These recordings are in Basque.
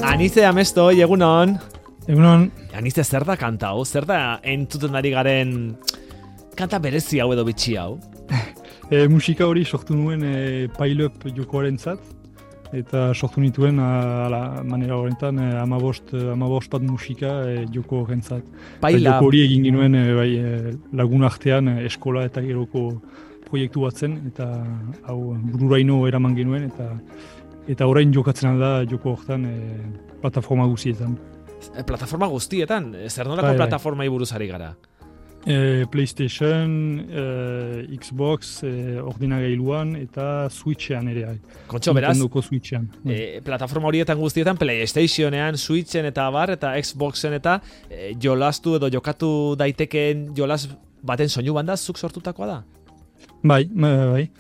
Anize Amesto, egunon. Egunon. Anize, zer da kanta hau? Zer da entzuten ari garen kanta berezi hau edo bitxi hau? Musika hori sortu nuen pile-up jokoaren zat, eta sortu nituen manera horretan 15 bat musika joko horren zat. Joko hori egin ginuen lagun artean eskola eta geroko proiektu bat zen, eta hau bururaino eraman genuen, eta orain jokatzen alda joko horretan plataforma guztietan. Plataforma guztietan? Zer nolako plataformai buruz ari gara? PlayStation, Xbox, ordinagailuan eta Switchean ere. Kontxo, beraz, Switchean. Plataforma horietan guztietan, PlayStationean, Switchen eta bar, eta Xboxen eta jolastu edo jokatu daitekeen jolas baten soinu banda zuk sortutakoa da? Bai.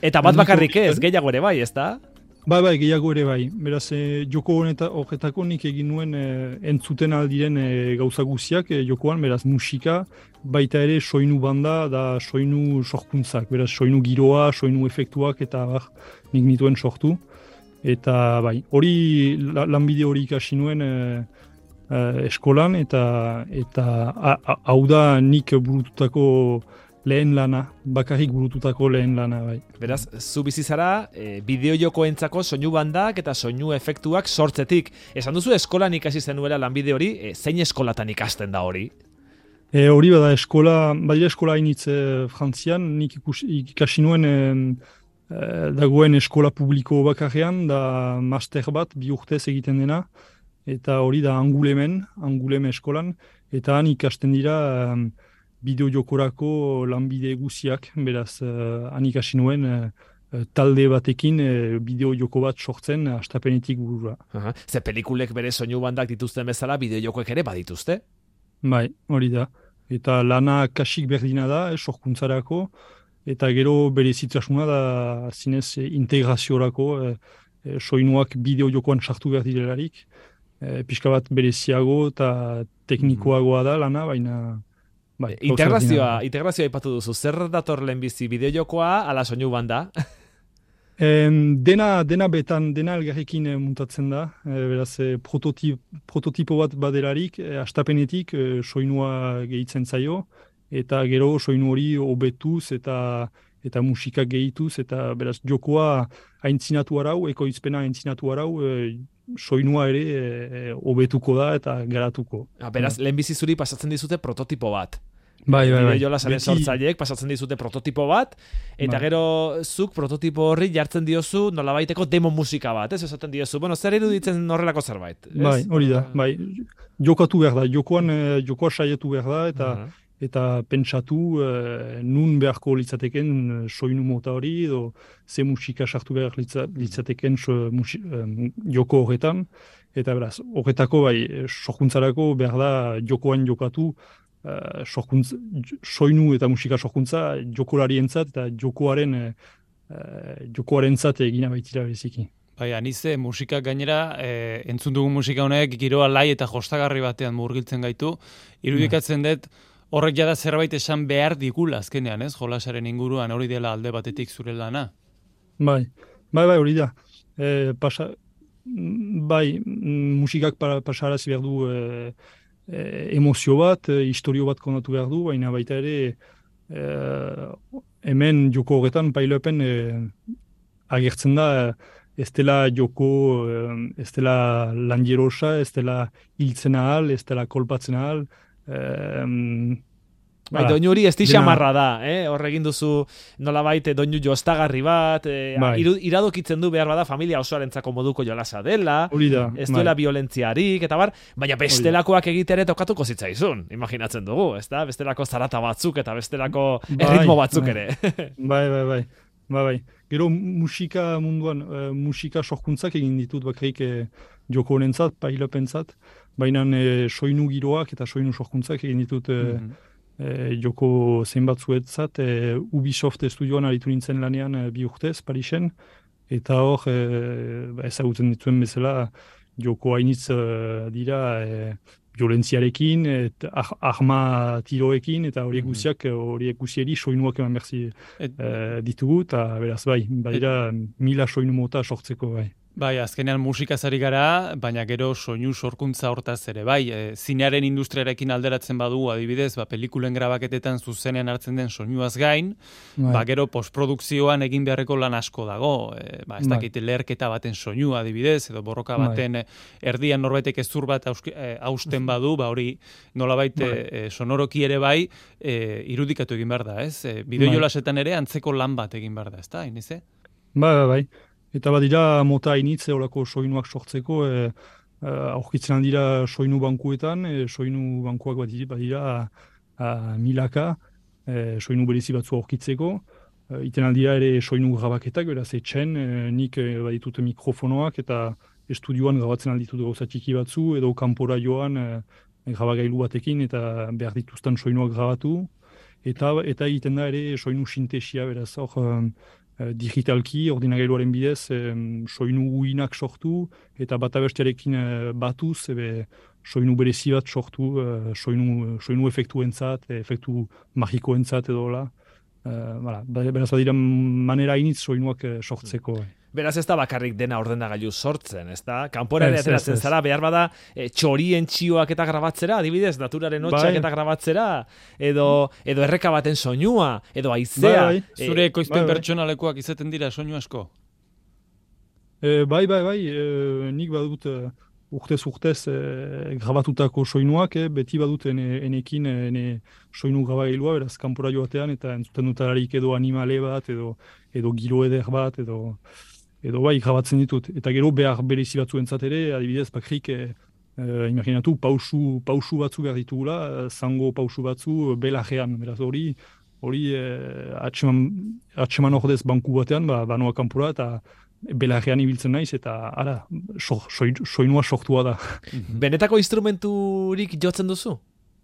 Eta bat bakarrik ez, gehiago ere bai, ez da? Bai, gehiago ere bai. Beraz, joko horretako nik egin nuen entzuten aldiren gauza guztiak jokoan, beraz, musika, baita ere soinu banda da soinu sorkuntzak. Beraz, soinu giroa, soinu efektuak eta nik nituen sortu. Eta bai, hori lanbide hori ikasi nuen eskolan, eta hau da nik burututako lehen lana, bakarrik burututako lehen lana, bai. Beraz, zu bizi zara, bideo-jokoentzako soinu bandak eta soinu efektuak sortzetik. Esan duzu eskolan ikasi zenuela lanbide hori, zein eskolatan ikasten da hori? Hori bada badira eskola hainitz Frantzian, nik ikasi nuen dagoen eskola publiko bakarrean, da master bat, 2 urtez egiten dena, eta hori da Anguleme eskolan, eta han ikasten dira bideo-jokorako lanbide guziak, beraz, han ikasi nuen talde batekin bideo-joko bat sortzen hastapenetik burura. Ze pelikulek bere soinu bandak dituzten bezala, bideo-jokoek ere badituzte? Bai, hori da. Eta lana kasik berdina da, sorkuntzarako, eta gero bere zitrasuna da zinez integraziorako, soinuak bideo-jokoan sartu behar direlarik, pixka bat bereziago eta teknikoagoa da lana, baina Integrazioa aipatu duzu. Zer dator lehenbizi, bideo-jokoa ala soinu banda? Dena elgarrekin muntatzen da. Beraz, prototipo bat badelarik, hastapenetik soinua gehitzen zaio, eta gero soinu hori hobetuz eta musika gehituz, eta beraz, jokoa aintzinatu arau, ekoizpena aintzinatu arau, soinua ere hobetuko da eta garatuko. Beraz, lehenbizi zuri pasatzen dizute prototipo bat. Bai. Jolasaren sortzaileek pasatzen dizute prototipo bat, eta gero zuk prototipo horri jartzen diozu nolabaiteko demo musika bat, ez? Esaten diozu, zer iruditzen horrelako zerbait? Bai, hori da, bai. Jokatu behar da, jokoa saiatu behar da, eta pentsatu nun beharko litzateken soinu mota hori, edo ze musika sartu behar litzateken joko horretan, eta beraz, horretako bai, sorkuntzarako behar da jokoan jokatu, soinu eta musika sorkuntza jokolarientzat eta jokoarentzat egina baitira beziki. Bai, Anize, musika gainera, entzun dugun musika honek giroa lai eta jostagarri batean murgiltzen gaitu. Irudikatzen dut, horrek jada zerbait esan behar digula azkenean, ez? Jolasaren inguruan hori dela alde batetik zure lana. Bai, hori da. Musikak pasarazi behar du emozio bat, historio bat kontatu behar du, baina baita ere hemen joko horretan pile-upen agertzen da ez dela joko, ez dela landierosa, ez dela hiltzen ahal, ez dela kolpatzen ahal. Doinu hori ez xamarra da, hor egin duzu nolabait doinu jostagarri bat, iradokitzen du behar bada familia osoarentzako moduko jolasa dela, ez duela violentziarik, eta baina bestelakoak egitere tokatuko zitzaizun, imaginatzen dugu, ez da? Bestelako zarata batzuk eta bestelako erritmo batzuk ere. Bai. Gero musika munduan, musika sorkuntzak egin ditut bakarrik joko honentzat, pile-upentzat, baina soinu giroak eta soinu sorkuntzak egin ditut joko zenbatzuetzat, Ubisoft estudioan aritu nintzen lanean 2 urtez, Parisen, eta hor ezagutzen dituen bezala joko hainitz dira violentziarekin, arma tiroekin, eta horiek guzieri soinuak eman berzi ditugu, eta beraz badira 1000 soinu mota sortzeko bai. Bai, azkenean musikaz ari gara, baina gero soinu sorkuntza hortaz ere, bai, zinearen industriarekin alderatzen badu, adibidez, pelikulen grabaketetan zuzenean hartzen den soinuaz gain, gero postprodukzioan egin beharreko lan asko dago, ez dakit leherketa baten soinua adibidez, edo borroka baten erdian norbaitek ezur bat hausten badu, hori nolabait sonoroki ere bai, irudikatu egin behar da, ez? Bideojolasetan ere antzeko lan bat egin behar da, ez da, Inize? Bai. Eta badira mota initze olako soinuak sortzeko, aurkitzen aldira soinu bankuetan, soinu bankuak badira milaka, soinu berezi batzu aurkitzeko, iten aldira ere soinu grabaketak, beraz etxen, nik baditut mikrofonoak eta estudioan grabatzen alditut gauza txiki batzu, edo kanpora joan grabagailu batekin eta behar dituzten soinuak grabatu, eta egiten da ere soinu sintesia, beraz hor digitalki, ordinagailuaren bidez, soinu uinak sortu, eta bata bestearekin batuz, soinu berezi bat sortu, soinu efektuentzat, efektu magikoentzat edo hola. Beraz badira manera initz soinuak sortzeko. Beraz ez da bakarrik dena ordenagailu sortzen, ez da? Kanpora ere ateratzen zara, behar bada txorien txioak eta grabatzera, adibidez, naturaren hotxak eta grabatzera, edo erreka baten soinua, edo haizea. Zure ekoizpen pertsonalekoak izaten dira soinu asko? Bai, nik badut urtez grabatutako soinuak, beti badut enekin soinu grabagailua, beraz kanpora joatean, eta entzuten dutararik edo animale bat, edo giro eder bat, edo bai grabatzen ditut. Eta gero behar berezi batzuentzat ere, adibidez bakrik, imaginatu, pausu batzu behar ditugula, zango pausu batzu belajean. Beraz hori atxeman ordez banku batean, banoa kanpora, eta belajean ibiltzen naiz, eta soinua sortua da. Benetako instrumenturik jotzen duzu?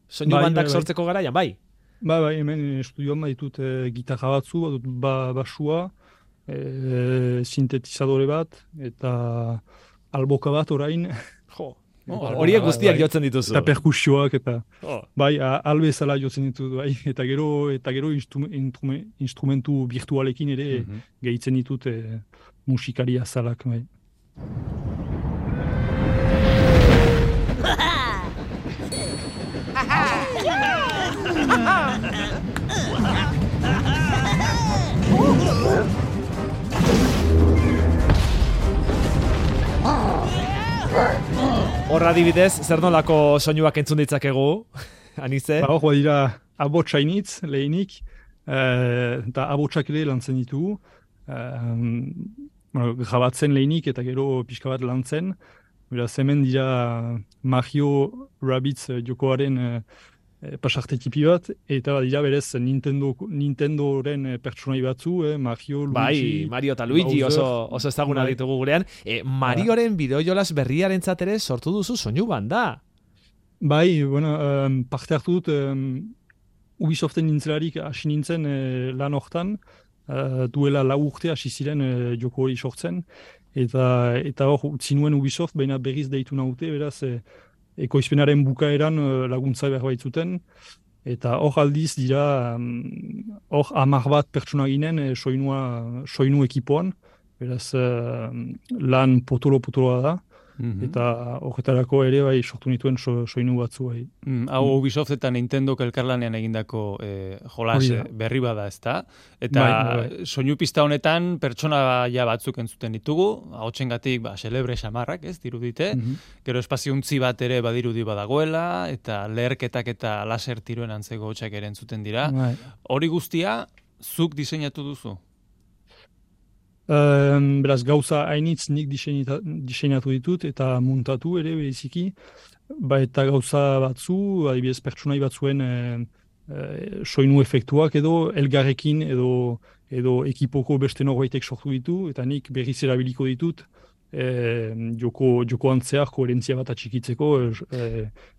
Soinu bandak sortzeko garaian, bai? Bai, hemen estudioan ditut gitarra batzu, basua, sintetizadore bat, eta alboka bat orain. Horiek guztiak jotzen dituzu. Eta perkusioak, eta bai, albezala jotzen ditut, bai, eta gero instrumentu virtualekin ere gehitzen ditut musikari azalak, bai. Horra adibidez, zer nolako soinuak entzun ditzakegu, Anize? Hor badira abotsainitz lehenik, eta abotsak ere lantzen ditugu, grabatzen lehenik eta gero pixka bat lantzen. Beraz hemen dira Mario Rabbids jokoaren pasarte tipi bat, eta badira berez Nintendoren pertsonai batzu, Mario, Luigi... Bai, Mario eta Luigi oso ezaguna ditugu gurean. Marioren bideojolas berriarentzat ere sortu duzu soinu banda. Bai, parte hartu dut Ubisoften nintzelarik hasi nintzen lan hortan, duela 4 urte hasi ziren joko hori sortzen, eta hor utzi nuen Ubisoft, baina berriz deitu naute, beraz ekoizpenaren bukaeran laguntza behar baitzuten, eta hor aldiz dira, hor 10 bat pertsona ginen soinu ekipoan, beraz lan potoloa da, eta horretarako ere bai sortu nituen soinu batzu bai. Hau Ubisoft eta Nintendo elkarlanean egindako jolas berri bada, ezta? Eta soinu pista honetan pertsonaia batzuk entzuten ditugu, ahotsengatik celebre xamarrak, ez, dirudite, gero espaziontzi bat ere badirudi badagoela, eta leherketak eta laser tiroen antzeko hotsak ere entzuten dira. Hori guztia zuk diseinatu duzu? Beraz, gauza hainitz nik diseinatu ditut eta muntatu ere bereziki, eta gauza batzu, adibidez pertsonai batzuen soinu efektuak edo elgarrekin edo ekipoko beste norbaitek sortu ditu, eta nik berriz erabiliko ditut joko antzeak koherentzia bat atxikitzeko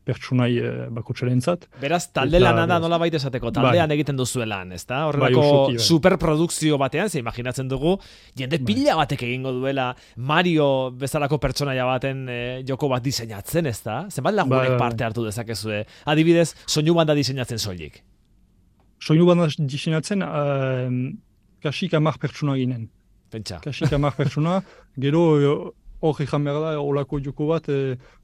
pertsonai bakotxarentzat. Beraz, talde lana da nola baita esateko, taldean egiten duzuelan, ezta? Horrelako superprodukzio batean, ze imaginatzen dugu, jende pila batek egingo duela Mario bezalako pertsonaia baten joko bat diseinatzen, ezta? Zenbat lagunek parte hartu dezakezue? Adibidez, soinu banda diseinatzen soilik? Soinu banda diseinatzen, kasik 10 pertsona ginen. Pentsa. Kasik 10 pertsona, gero hor ezan behar da, olako joko bat,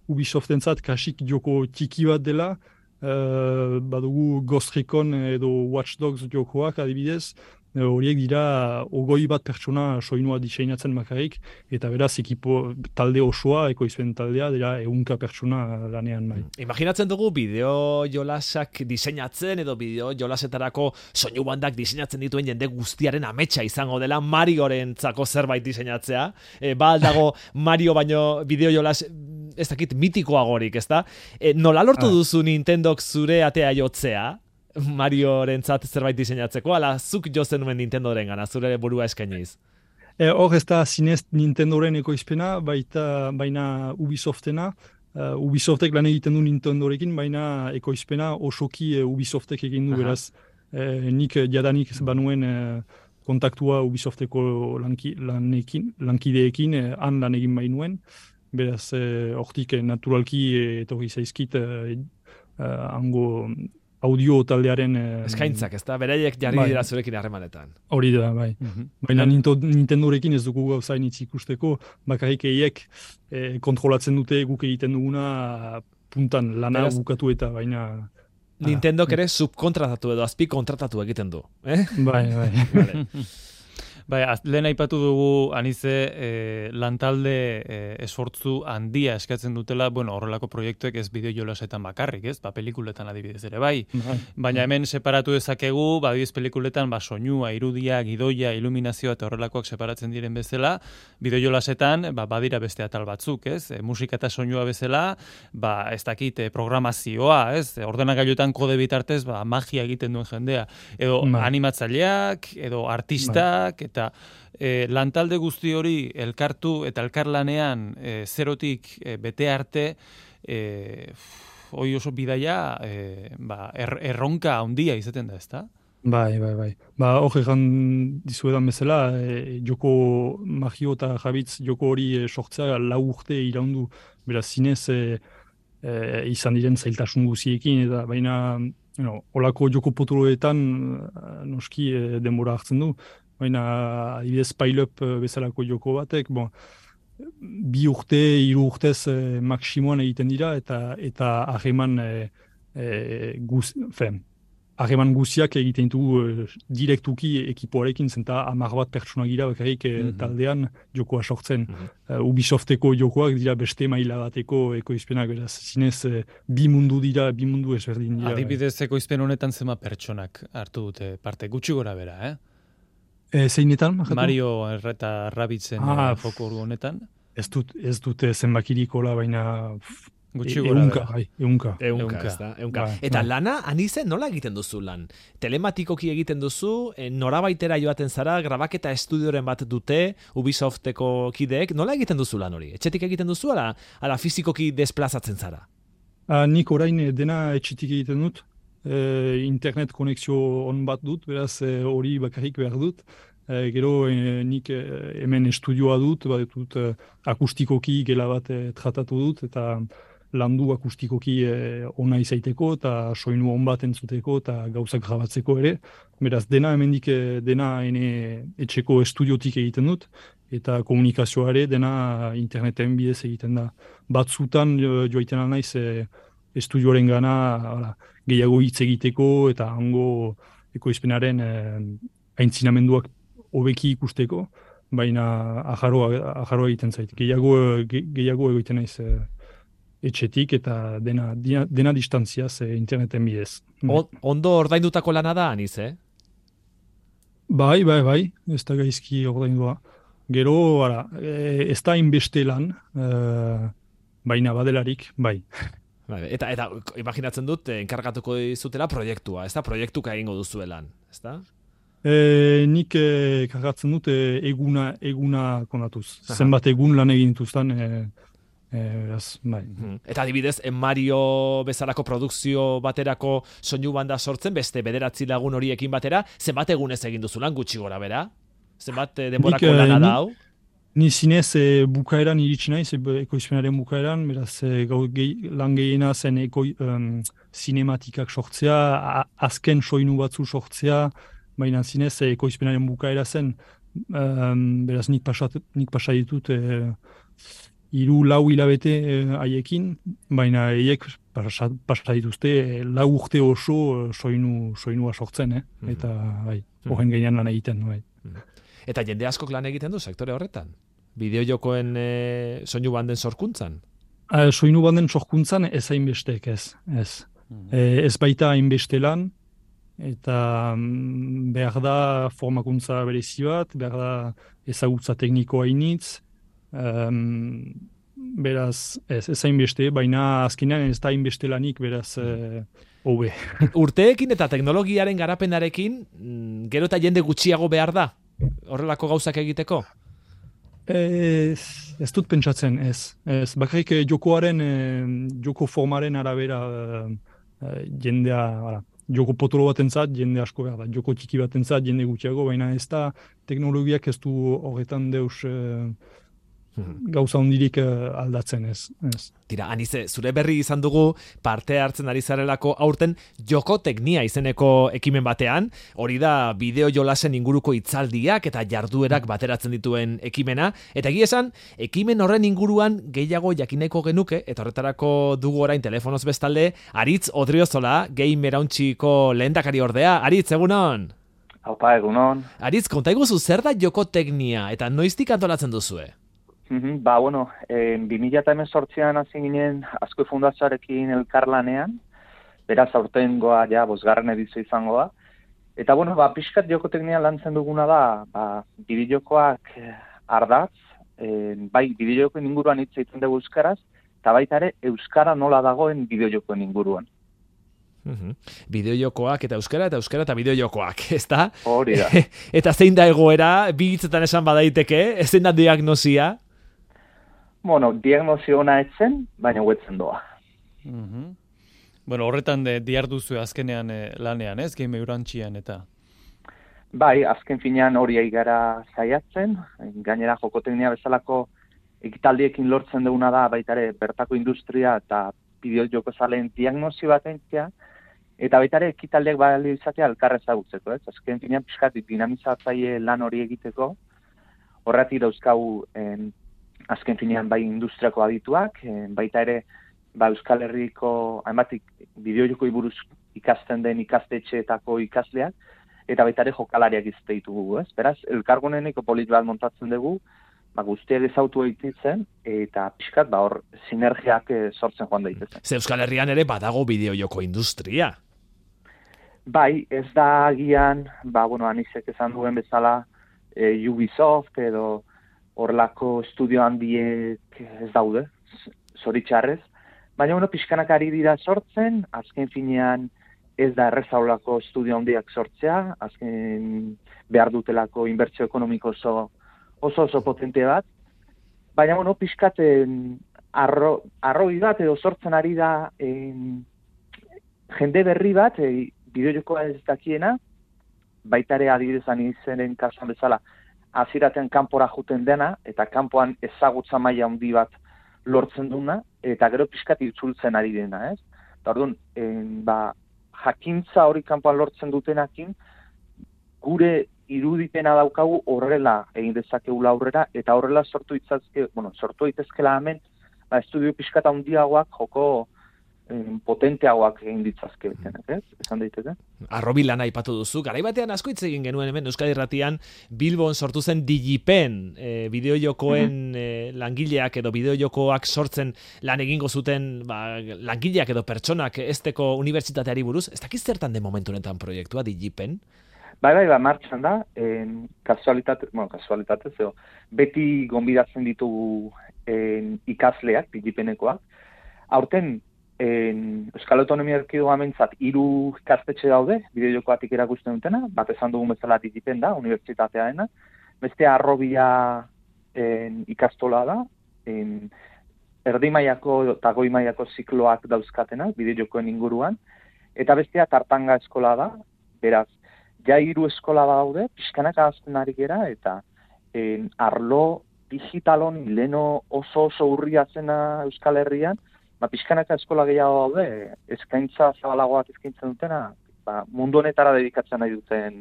Ubisoftentzat kasik joko txiki bat dela, badugu Ghost Recon edo Watch Dogs jokoak adibidez, horiek dira 21 pertsona soinua diseinatzen bakarrik, eta beraz ekipo talde osoa, ekoizpen taldea, dira 100 pertsona lanean bai. Imaginatzen dugu bideo jolasak diseinatzen edo bideo jolasetarako soinu bandak diseinatzen dituen jende guztiaren ametsa izango dela Mariorentzako zerbait diseinatzea. Ba aldago Mario baino bideo jolas ez dakit mitikoagorik, ezta? Nola lortu duzu Nintendok zure atea jotzea? Mariorentzat zerbait diseinatzeko, ala zuk jozen nuen Nintendoren gana, zure burua eskainiz? Hor ez da zinez Nintendoren ekoizpena, baina Ubisoftena. Ubisoftek lan egiten du Nintendorekin, baina ekoizpena osoki Ubisoftek egin du, beraz. Nik jadanik banuen kontaktua Ubisofteko lankideekin, han lan egin bainuen. Beraz, hortik naturalki etorri zaizkit hango audio taldearen... Eskaintzak, ez da? Beraiek jarri dira zurekin harremanetan. Hori da, bai. Baina Nintendorekin ez dugu gauzainitz ikusteko, bakarrik eiek kontrolatzen dute guk egiten duguna puntan lana bukatu eta baina... Nintendok ere subkontratatu edo azpi kontratatu egiten du. Bai. Bai, lehen aipatu dugu anize lantalde esfortzu handia eskatzen dutela, horrelako proiektuek ez bideo jolasetan bakarrik, ez? Pelikuletan adibidez ere bai. Baina hemen separatu dezakegu, adibidez pelikuletan soinua, irudia, gidoia, iluminazioa eta horrelakoak separatzen diren bezala, bideo jolasetan badira beste atal batzuk, ez? Musika eta soinua bezala, ez dakit programazioa, ez? Ordenagailuetan kode bitartez magia egiten duen jendea, edo animatzaileak, edo artistak, eta lantalde guzti hori elkartu eta elkarlanean zerotik bete arte hori oso bidaia erronka handia izaten da, ezta? Bai. Hor egan dizuedan bezala, joko magio eta jabitz joko hori sortzea 4 urte iraundu, beraz zinez izan diren zailtasun guziekin, eta baina olako joko potoloetan noski denbora hartzen du. Baina, adibidez, pile-up bezalako joko batek, 2 urte, 3 urtez maksimoan egiten dira, eta hageman guziak egiten dugu direktuki ekipoarekin, zenta 10 pertsona gira bakarrik taldean jokoa sortzen. Ubisofteko jokoak dira beste maila bateko ekoizpenak, beraz, zinez bi mundu ezberdin dira. Adibidez, ekoizpen honetan zema pertsonak hartu dute parte, gutxi gora bera, Zeinetan? Mario eta Rabbitzen foko honetan? Ez dute zenbakirikola, baina gutxi gora bera. Eunka. Eta lana, anize, nola egiten duzu lan? Telematikoki egiten duzu, norabaitera joaten zara, grabaketa estudioren bat dute, Ubisofteko kideek, nola egiten duzu lan hori? Etxetik egiten duzu, ala fizikoki desplazatzen zara? Nik orain dena etxetik egiten dut. Internet konexio on bat dut, beraz hori bakarrik behar dut. Gero nik hemen estudioa dut, akustikoki gela bat tratatu dut, eta landu akustikoki ona izaiteko, eta soinu on bat entzuteko, eta gauzak grabatzeko ere. Beraz, dena hemendik dena etxeko estudiotik egiten dut, eta komunikazioa ere dena interneten bidez egiten da. Batzutan joaiten naiz estudioaren gana gehiago hitz egiteko eta hango ekoizpenaren aintzinamenduak hobeki ikusteko, baina ajarroa egiten zait. Gehiago egiten naiz etxetik eta dena distantziaz interneten bidez. Ondo ordaindutako lana da, aniz, Bai, ez da gaizki ordaindua. Gero, ez da inbeste lan, baina badelarik, bai. Eta imaginatzen dut, enkargatuko dizutela proiektua, ez da? Proiektuka egingo duzuelan, ez da? Nik kargatzen dut eguna konatuz. Zenbat egun lan egin dituzten, bai. Eta adibidez, Mario bezalako produkzio baterako soinu banda sortzen, beste 9 lagun horiekin batera, zenbat egunez egin duzulan gutxi gora bera? Zenbat denborako lana da hau? Ni zinez bukaeran iritsi naiz, ekoizpenaren bukaeran, beraz lan gehiena zen sinematikak sortzea, azken soinu batzu sortzea, baina zinez ekoizpenaren bukaera zen, beraz nik pasa ditut 3-4 hilabete haiekin, baina haiek pasa dituzte 4 urte oso soinua sortzen, eta bai, horren gainean lan egiten, bai. Eta jende askok lan egiten du sektore horretan? Bideojokoen soinu banden sorkuntzan? Soinu banden sorkuntzan ez hainbestek, ez. Ez baita hainbeste lan, eta behar da formakuntza berezi bat, behar da ezagutza teknikoa initz, beraz ez hainbeste, baina azkenean ez da hainbeste lanik, beraz hobe. Urteekin eta teknologiaren garapenarekin, gero eta jende gutxiago behar da? Horrelako gauzak egiteko? Ez dut pentsatzen, ez. Bakarrik joko formaren arabera jendea, joko potolo batentzat jende asko behar da, joko txiki batentzat jende gutxiago, baina ez da teknologiak ez du horretan deus gauza hondirik aldatzen, ez. Tira, Anize, zure berri izan dugu parte hartzen ari zarelako aurten joko teknia izeneko ekimen batean, hori da bideo jolasen inguruko hitzaldiak eta jarduerak bateratzen dituen ekimena, eta egia esan, ekimen horren inguruan gehiago jakineko genuke, eta horretarako dugu orain telefonoz bestalde, Aritz Odriozola, Gamerauntxiko lehendakari ordea. Aritz, egunon? Aupa, egunon. Aritz, konta iguzu zer da joko teknia, eta noiztik antolatzen duzue? 2018an hasi ginen Azkue Fundazioarekin elkarlanean, beraz aurtengoa ja 5. edizio izango da. Eta pixkat joko teknia lantzen duguna da, bideojokoak ardatz, bai bideojokoen inguruan hitz egiten dugu euskaraz, eta baita ere euskara nola dagoen bideojokoen inguruan. Bideojokoak eta euskara eta bideojokoak, ezta? Hori da. Eta zein da egoera, bi hitzetan esan badaiteke, zein da diagnosia? Diagnosio ona etzen, baina huetzen doa. Horretan diarduzu azkenean lanean, ez? Gamerauntxian eta? Bai, azken finean hori gara saiatzen, gainera joko teknia bezalako ekitaldiekin lortzen duguna da, baita ere bertako industria eta bideojoko zaleen diagnosi bat entzia, eta baita ere ekitaldiak balio izatea elkar ezagutzeko, ez? Azken finean pixkat dinamizatzaile lan hori egiteko, horretik dauzkagu azken finean bai industriako adituak, baita ere Euskal Herriko hainbatik bideojokoi buruz ikasten den ikastetxeetako ikasleak, eta baita ere jokalariak izate ditugu, ez? Beraz, elkarguneneko polit bat montatzen dugu, guztiak ezautu egiten, eta pixkat hor sinergiak sortzen joan daitezen. Ze Euskal Herrian ere badago bideojoko industria. Bai, ez da agian, Anisek esan duen bezala Ubisoft edo horrelako estudio handiek ez daude, zoritxarrez. Baina pixkanak ari dira sortzen, azken finean ez da errezaulako estudio handiak sortzea, azken behar dutelako inbertsio ekonomiko oso potente bat. Baina pixkat arroi bat edo sortzen ari da jende berri bat, bideojokoa ez dakiena, baita ere adibidezan izenen kasuan bezala, aziraten kanpora juten dena, eta kanpoan ezagutza maila handi bat lortzen duna, eta gero pixkat itzultzen ari dena, ez? Eta orduan, jakintza hori kanpoan lortzen dutenakin, gure irudipena daukagu horrela egin dezakegula aurrera, eta horrela sortu daitezkela hemen, estudio pixkat handiagoak joko potenteagoak egin ditzazke betenak, ez? Esan daiteke? Arrobi lana aipatu duzu, garaibatean asko hitz egin genuen hemen Euskadi Irratian Bilbon sortu zen Digipen, bideojokoen langileak edo bideojokoak sortzen lan egingo zuten langileak edo pertsonak ezteko unibertsitateari buruz. Ez dakiz zertan den momentu honetan proiektua Digipen? Bai, martxan da, kasualitatez, beti gonbidatzen ditugu ikasleak, Digipenekoak. Aurten, Euskal Autonomia Erkidegoan mentzat 3 ikastetxe daude, bideojokoatik erakusten dutena, bat esan dugun bezala Digipen da, unibertsitatearena. Beste Arrobia ikastola da, erdi mailako eta goi mailako zikloak dauzkatenak, bideojokoen inguruan, eta bestea Tartanga eskola da, beraz, ja 3 eskola daude, pixkanak ahazten ari gera, eta arlo digitalon leno oso urria zena Euskal Herrian, pixkanaka eskola gehiago daude, eskaintza zabalagoak eskaintzen dutena, mundu honetara dedikatzen nahi duten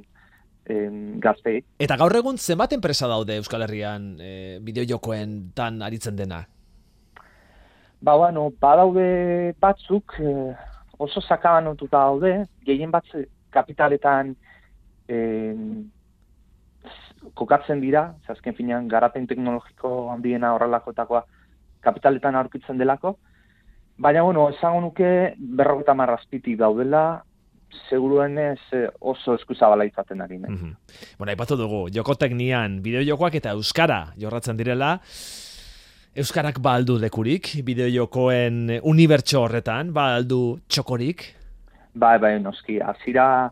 gaztei. Eta gaur egun zenbat enpresa daude Euskal Herrian bideojokoen tan aritzen dena? Badaude batzuk oso sakabanotuta daude, gehien bat kapitaletan kokatzen dira, azken finean garapen teknologiko handiena horrelakoetakoa kapitaletan aurkitzen delako, baina esango nuke 50 azpitik daudela, seguruenez oso eskuzabala izaten ari. Aipatu dugu, jokoteknian bideojokoak eta euskara jorratzen direla, euskarak aldu lekurik, bideojokoen unibertso horretan, aldu txokorik? Bai, noski, azira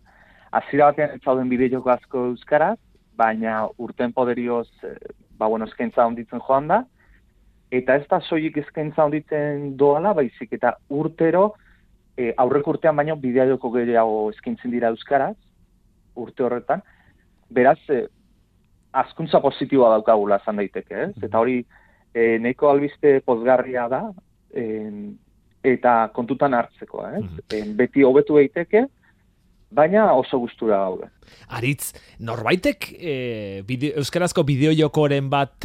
batean ez zauden bideojoko asko euskaraz, baina urten poderioz, eskaintza onditzen joan da, eta ez da soilik eskaintza onditzen doala, baizik eta urtero, aurreko urtean baino bideojoko gehiago eskaintzen dira euskaraz, urte horretan, beraz, hazkuntza positiboa daukagula esan daiteke, ez? Eta hori, nahiko albiste pozgarria da, eta kontutan hartzeko, ez? Beti hobetu daiteke, baina oso gustura gaude. Aritz, norbaitek euskarazko bideojokoren bat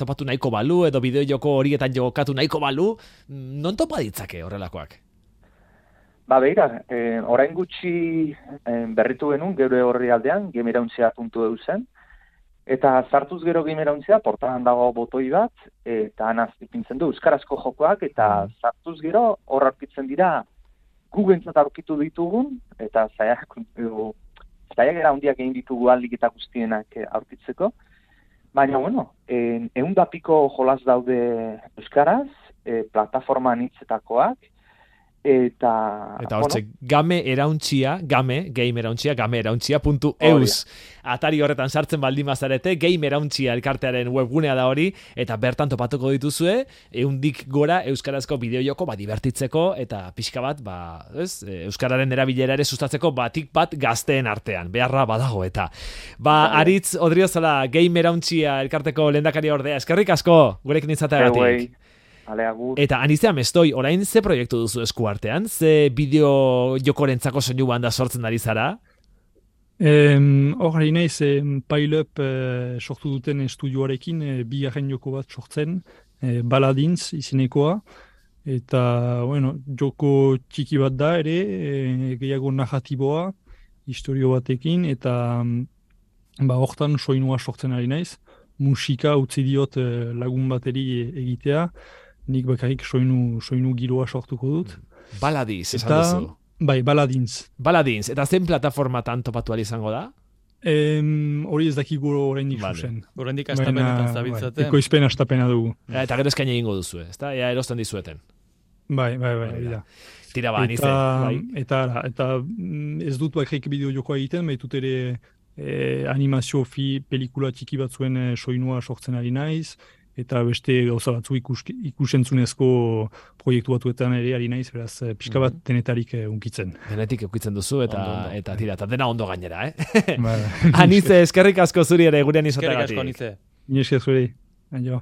topatu nahiko balu, edo bideojoko horietan jokatu nahiko balu, non topa ditzake horrelakoak? Beira, orain gutxi berritu genuen, geure horri aldean, gamerauntxea.eu zen, eta sartuz gero gamerauntxea, portalan dago botoi bat, eta anaz ipintzen du euskarazko jokoak, eta sartuz gero hor aurkitzen dira gugentzat aurkitu ditugun, eta zaiak handiak egin ditugu aldik eta guztienak aurkitzeko. Baina, 100 piko jolas daude euskaraz, plataforma anitzetakoak, eta hortze, game erauntxia.eus atari horretan sartzen baldin bazarete, game erauntxia elkartearen webgunea da hori, eta bertan topatuko dituzue 100 gora euskarazko bideojoko divertitzeko, eta pixka bat euskararen erabilera ere sustatzeko batik bat gazteen artean, beharra badago eta Aritz Odriozala, game erauntxia elkarteko lehendakari ordea, eskerrik asko gurekin izateagatik. Eta Anizea Mestoi, orain ze proiektu duzu eskuartean? Ze bideo jokorentzako soinu banda sortzen ari zara? Hor naiz Pile-up sortu duten estudioarekin bigarren joko bat sortzen, Baladins izenekoa, eta joko txiki bat da ere, gehiago narratiboa, historio batekin, eta hortan soinua sortzen ari naiz, musika utzi diot lagun bateri egitea, nik bakarrik soinu giroa sortuko dut. Baladins, esan duzu? Bai, Baladins. Baladins, eta zen plataformatan topatu izango da? Hori ez dakigu oraindik zuzen. Oraindik astapenetan zabiltzaten. Ekoizpen astapena dugu. Eta gero eskaini egingo duzu, ezta? Ea erosten dizueten. Bai. Tira Anize. Eta ez dut bakarrik bideo jokoa egiten, baitut ere animazio pelikula txiki batzuen soinua sortzen ari naiz, eta beste gauza batzu ikusentzunezko proiektu batuetan ere ari naiz, beraz pixka bat denetarik unkitzen. Denetik ukitzen duzu eta tira, eta dena ondo gainera, Anize, eskerrik asko zuri ere gurean izateagatik. Eskerrik asko, Anize. Ni esker zuri. Aio.